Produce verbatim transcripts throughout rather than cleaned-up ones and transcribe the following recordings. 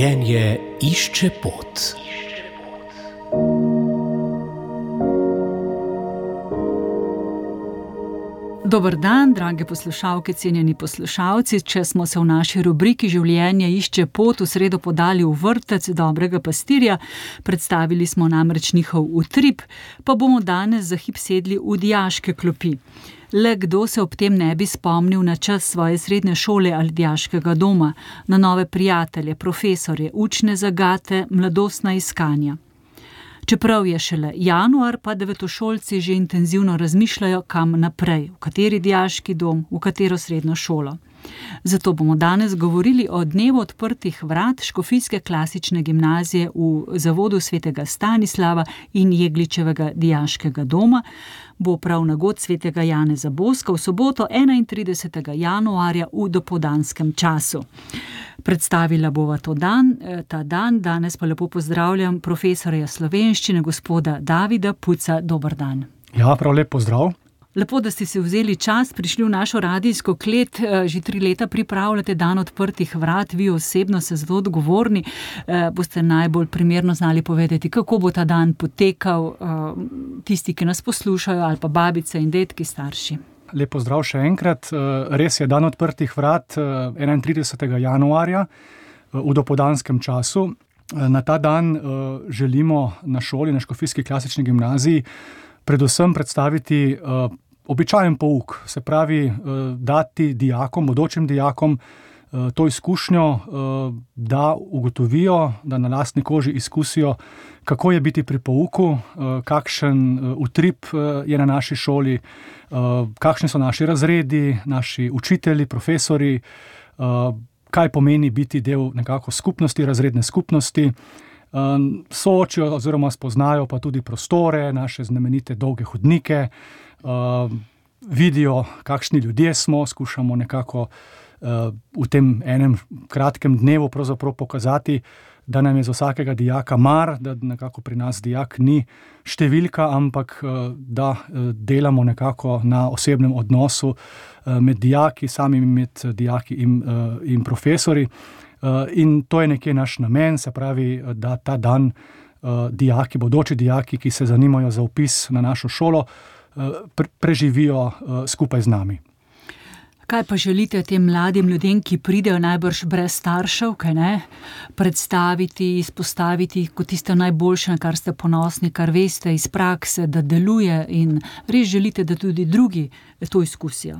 Življenje išče pot. Dober dan, drage poslušalke, cenjeni poslušalci. Če smo se v naši rubriki Življenje išče pot v sredo podali v vrtec dobrega pastirja, predstavili smo namreč njihov utrip, pa bomo danes za hip sedli v dijaške klopi. Le kdo se ob tem ne bi spomnil na čas svoje srednje šole ali dijaškega doma, na nove prijatelje, profesorje, učne zagate, mladostna iskanja. Čeprav je šele januar, pa devetošolci že intenzivno razmišljajo, kam naprej, v kateri dijaški dom, v katero srednjo šolo. Zato bomo danes govorili o dnevu odprtih vrat Škofijske klasične gimnazije v zavodu svetega Stanislava in Jegličevega dijaškega doma. Bo prav na god svetega Janeza Boska v soboto enaintridesetega januarja v dopoldanskem času. Predstavila bova to dan, ta dan, danes pa lepo pozdravljam profesorja slovenščine, gospoda Davida Puca. Dober dan. Ja, prav lep pozdrav. Lepo, da ste si vzeli čas, prišli v našo radijsko klet, že tri leta pripravljate dan odprtih vrat, vi osebno ste za to odgovorni, boste najbolj primerno znali povedati, kako bo ta dan potekal, tisti, ki nas poslušajo, ali pa babice in dedki, starši. Lep pozdrav še enkrat. Res je, dan odprtih vrat enaintridesetega januarja v dopoldanskem času. Na ta dan želimo na šoli, na Škofijski klasični gimnaziji, predvsem predstaviti uh, običajen pouk, se pravi uh, dati dijakom, bodočim dijakom uh, to izkušnjo, uh, da ugotovijo, da na lastni koži izkusijo, kako je biti pri pouku, uh, kakšen uh, utrip uh, je na naši šoli, uh, kakšni so naši razredi, naši učitelji, profesori, uh, kaj pomeni biti del nekako skupnosti, razredne skupnosti. Soočijo oziroma spoznajo pa tudi prostore, naše znamenite dolge hodnike, vidijo, kakšni ljudje smo, skušamo nekako v tem enem kratkem dnevu pravzaprav pokazati, da nam je za vsakega dijaka mar, da nekako pri nas dijak ni številka, ampak da delamo nekako na osebnem odnosu med dijaki, samimi med dijaki in, in profesori. In to je nekje naš namen, se pravi, da ta dan dijaki, bodoči dijaki, ki se zanimajo za vpis na našo šolo, preživijo skupaj z nami. Kaj pa želite tem mladim ljudem, ki pridejo najbrž brez staršev, kaj ne, predstaviti, izpostaviti kot tisto najboljše, na kar ste ponosni, kar veste iz prakse, da deluje, in res želite, da tudi drugi to izkusijo?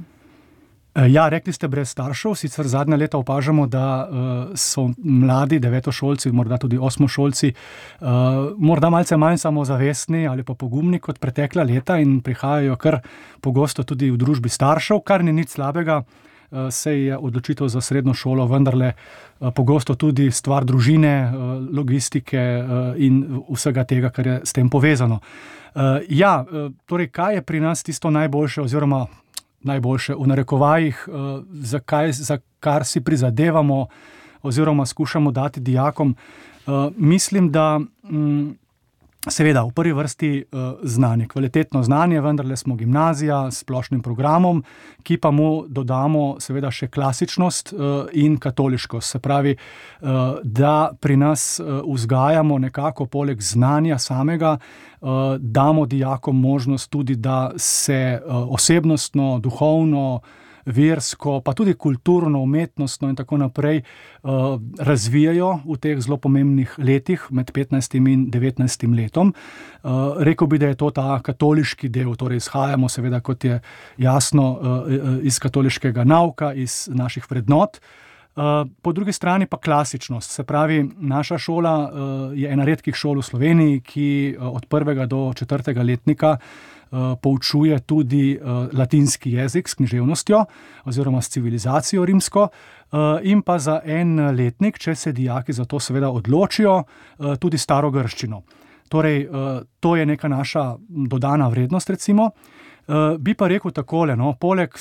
Ja, rekli ste brez staršev, sicer zadnja leta opažamo, da uh, so mladi devetošolci, morda tudi osmošolci, uh, morda malce manj samozavestni ali pa pogumni kot pretekla leta in prihajajo kar pogosto tudi v družbi staršev, kar ni nič slabega, uh, se je odločitev za srednjo šolo vendarle uh, pogosto tudi stvar družine, uh, logistike uh, in vsega tega, kar je s tem povezano. Uh, ja, uh, torej, kaj je pri nas tisto najboljše oziroma najboljše v narekovajih, za, kaj, za kar si prizadevamo oziroma skušamo dati dijakom. Mislim, da seveda v prvi vrsti znanje, kvalitetno znanje, vendarle smo gimnazija s splošnim programom, ki pa mu dodamo seveda še klasičnost in katoliškost. Se pravi, da pri nas vzgajamo nekako poleg znanja samega, damo dijakom možnost tudi, da se osebnostno, duhovno, versko, pa tudi kulturno, umetnostno in tako naprej razvijajo v teh zelo pomembnih letih med petnajstim in devetnajstim letom. Rekel bi, da je to ta katoliški del, torej izhajamo seveda, kot je jasno, iz katoliškega nauka, iz naših vrednot. Po drugi strani pa klasičnost, se pravi, naša šola je ena redkih šol v Sloveniji, ki od prvega do četrtega letnika poučuje tudi latinski jezik s književnostjo oziroma s civilizacijo rimsko, in pa za en letnik, če se dijaki za to seveda odločijo, tudi starogrščino. Torej, to je neka naša dodana vrednost, recimo. Bi pa rekel takole, no, poleg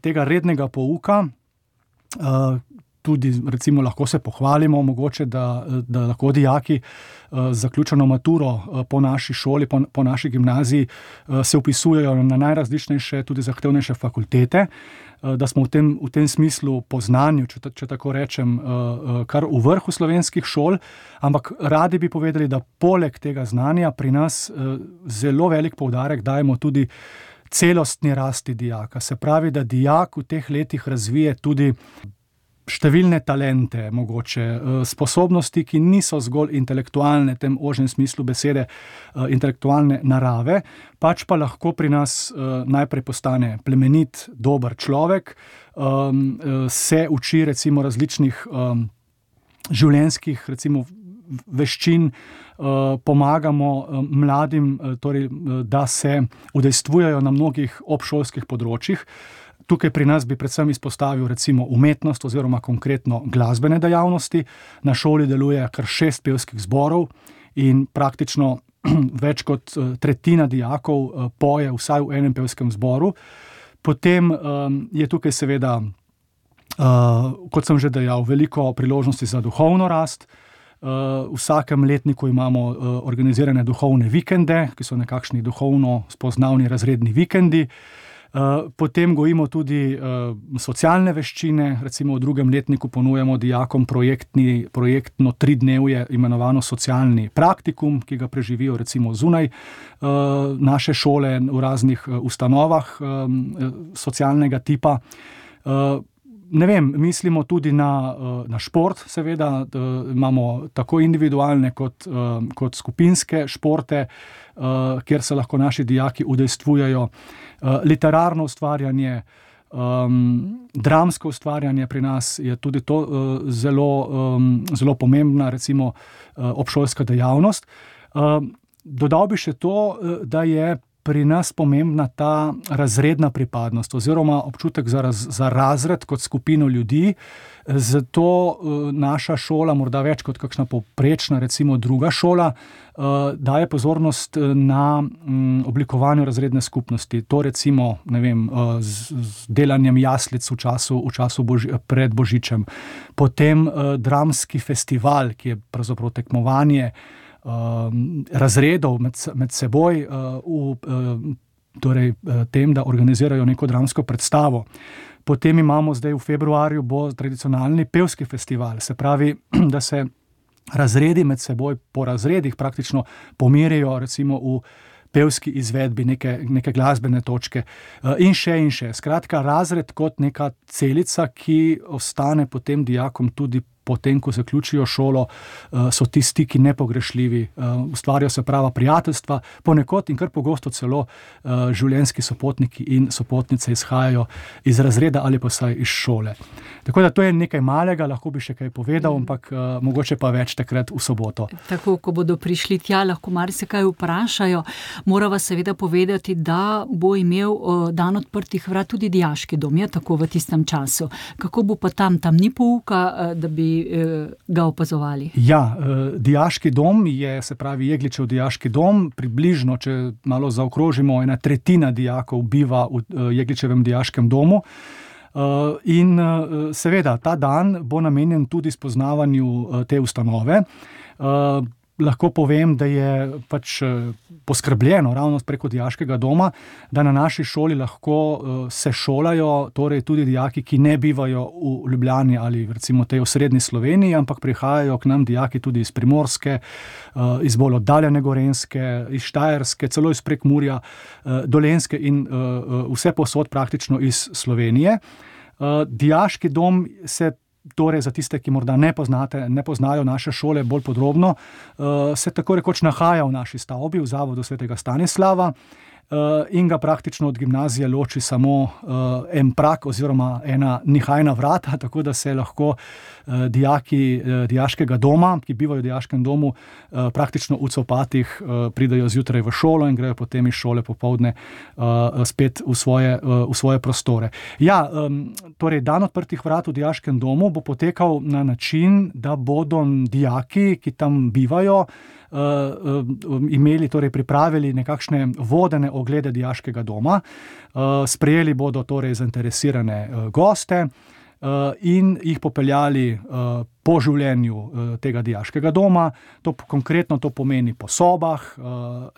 tega rednega pouka, tudi recimo lahko se pohvalimo mogoče, da, da lahko dijaki z zaključeno maturo po naši šoli, po, po naši gimnaziji se upisujejo na najrazličnejše, tudi zahtevnejše fakultete, da smo v tem, v tem smislu po znanju, če, če tako rečem, kar v vrhu slovenskih šol, ampak radi bi povedali, da poleg tega znanja pri nas zelo velik poudarek dajemo tudi celostni rasti dijaka. Se pravi, da dijak v teh letih razvije tudi številne talente, mogoče sposobnosti, ki niso zgolj intelektualne, v tem ožjem smislu besede, intelektualne narave, pač pa lahko pri nas najprej postane plemenit, dober človek, se uči recimo različnih življenjskih recimo veščin, pomagamo mladim, torej, da se udejstvujejo na mnogih obšolskih področjih. Tukaj pri nas bi predvsem izpostavil recimo umetnost oziroma konkretno glasbene dejavnosti. Na šoli deluje kar šest pevskih zborov in praktično več kot tretjina dijakov poje vsaj v enem pevskem zboru. Potem je tukaj seveda, kot sem že dejal, veliko priložnosti za duhovno rast. V vsakem letniku imamo organizirane duhovne vikende, ki so nekakšni duhovno spoznavni razredni vikendi. Potem gojimo tudi socialne veščine, recimo v drugem letniku ponujamo dijakom projektni, projektno tridnevje imenovano socialni praktikum, ki ga preživijo recimo zunaj naše šole v raznih ustanovah socialnega tipa. Ne vem, mislimo tudi na, na šport, seveda, imamo tako individualne kot, kot skupinske športe, kjer se lahko naši dijaki udejstvujejo. Literarno ustvarjanje, dramsko ustvarjanje pri nas je tudi to zelo, zelo pomembna, recimo, obšolska dejavnost. Dodal bi še to, da je pri nas pomembna ta razredna pripadnost oziroma občutek za, raz, za razred kot skupino ljudi, zato naša šola, morda več kot kakšna povprečna, recimo druga šola, daje pozornost na oblikovanju razredne skupnosti. To recimo, ne vem, z, z delanjem jaslic v času, v času boži, pred Božičem. Potem dramski festival, ki je pravzaprav tekmovanje razredov med, med seboj v torej, tem, da organizirajo neko dramsko predstavo. Potem imamo zdaj v februarju bo tradicionalni pevski festival, se pravi, da se razredi med seboj po razredih praktično pomirijo recimo v pevski izvedbi neke, neke glasbene točke in še in še. Skratka, razred kot neka celica, ki ostane potem dijakom tudi potem, ko zaključijo šolo, so ti stiki nepogrešljivi, ustvarjajo se prava prijateljstva, ponekod in kar pogosto celo življenjski sopotniki in sopotnice izhajajo iz razreda ali pa vsaj iz šole. Tako da to je nekaj malega, lahko bi še kaj povedal, ampak mogoče pa več takrat v soboto. Tako, ko bodo prišli tja, lahko marsikaj vprašajo. Morava seveda povedati, da bo imel dan odprtih vrat tudi dijaški dom, je tako v tistem času. Kako bo pa tam? Tam ni pouka, da bi ga opazovali? Ja, dijaški dom je, se pravi Jegličev dijaški dom, približno, če malo zaokrožimo, ena tretjina dijakov biva v Jegličevem dijaškem domu. In seveda, ta dan bo namenjen tudi spoznavanju te ustanove. Lahko povem, da je pač poskrbljeno ravno preko dijaškega doma, da na naši šoli lahko se šolajo torej tudi dijaki, ki ne bivajo v Ljubljani ali recimo tej osrednji Sloveniji, ampak prihajajo k nam dijaki tudi iz Primorske, iz bolj oddaljene Gorenjske, iz Štajerske, celo iz Prekmurja, Dolenjske in vse povsod praktično iz Slovenije. Dijaški dom se torej za tiste, ki morda ne poznate, ne poznajo naše šole bolj podrobno, se tako rekoč nahaja v naši stavbi, v Zavodu svetega Stanislava, in ga praktično od gimnazije loči samo en prak oziroma ena nihajna vrata, tako da se lahko dijaki dijaškega doma, ki bivajo v dijaškem domu, praktično v copatih pridejo zjutraj v šolo in grejo potem iz šole popoldne spet v svoje, v svoje prostore. Ja, torej dan odprtih vrat v dijaškem domu bo potekal na način, da bodo dijaki, ki tam bivajo, imeli, torej pripravili nekakšne vodene oglede dijaškega doma, sprejeli bodo torej zainteresirane goste, in jih popeljali po življenju tega dijaškega doma. To, konkretno to pomeni po sobah,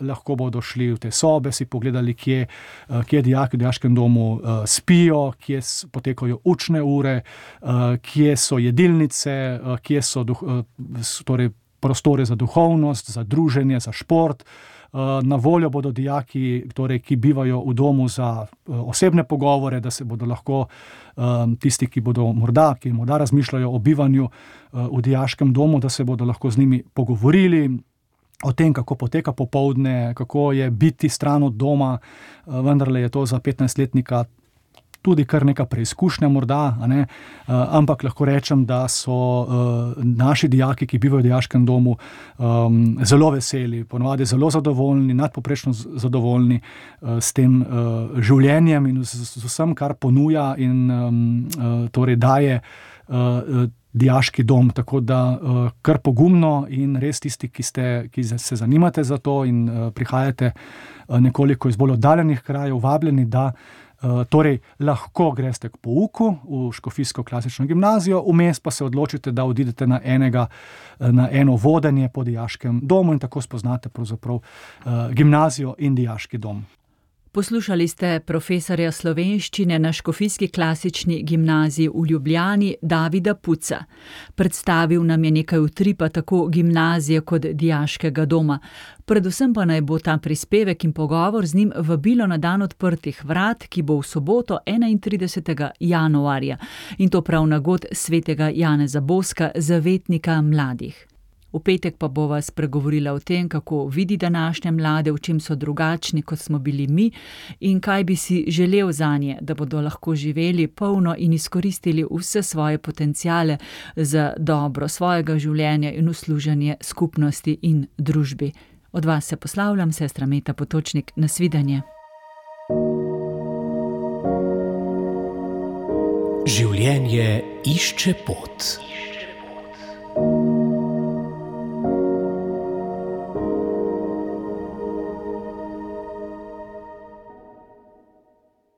lahko bodo šli v te sobe, si pogledali, kje, kje dijaki v dijaškem domu spijo, kje potekajo učne ure, kje so jedilnice, kje so duh, torej prostore za duhovnost, za druženje, za šport. Na voljo bodo dijaki, torej, ki bivajo v domu za osebne pogovore, da se bodo lahko tisti, ki bodo morda, ki morda razmišljajo o bivanju v dijaškem domu, da se bodo lahko z njimi pogovorili o tem, kako poteka popoldne, kako je biti stran od doma. Vendarle je to za petnajstletnika tudi kar neka preizkušnja morda, a ne? Ampak lahko rečem, da so uh, naši dijaki, ki bivajo v dijaškem domu, um, zelo veseli, ponavadi zelo zadovoljni, nadpoprečno zadovoljni uh, s tem uh, življenjem in z, z vsem, kar ponuja in um, uh, torej daje uh, dijaški dom. Tako da uh, kar pogumno in res tisti, ki, ste, ki se zanimate za to in uh, prihajate uh, nekoliko iz bolj oddaljenih krajev, vabljeni, da Uh, torej, lahko greste k pouku v Škofijsko klasično gimnazijo, vmes pa se odločite, da odidete na, enega, na eno vodenje po dijaškem domu in tako spoznate pravzaprav uh, gimnazijo in dijaški dom. Poslušali ste profesorja slovenščine na Škofijski klasični gimnaziji v Ljubljani Davida Puca. Predstavil nam je nekaj utripa tako gimnazije kot dijaškega doma. Predvsem pa naj bo ta prispevek in pogovor z njim vabilo na dan odprtih vrat, ki bo v soboto enaintridesetega januarja, in to prav na god svetega Janeza Boska, zavetnika mladih. V petek pa bova spregovorila o tem, kako vidi današnje mlade, v čem so drugačni, kot smo bili mi, in kaj bi si želel zanje, da bodo lahko živeli polno in izkoristili vse svoje potenciale za dobro svojega življenja in usluženje skupnosti in družbi. Od vas se poslavljam, sestra Meta Potočnik, nasvidenje. Življenje išče pot.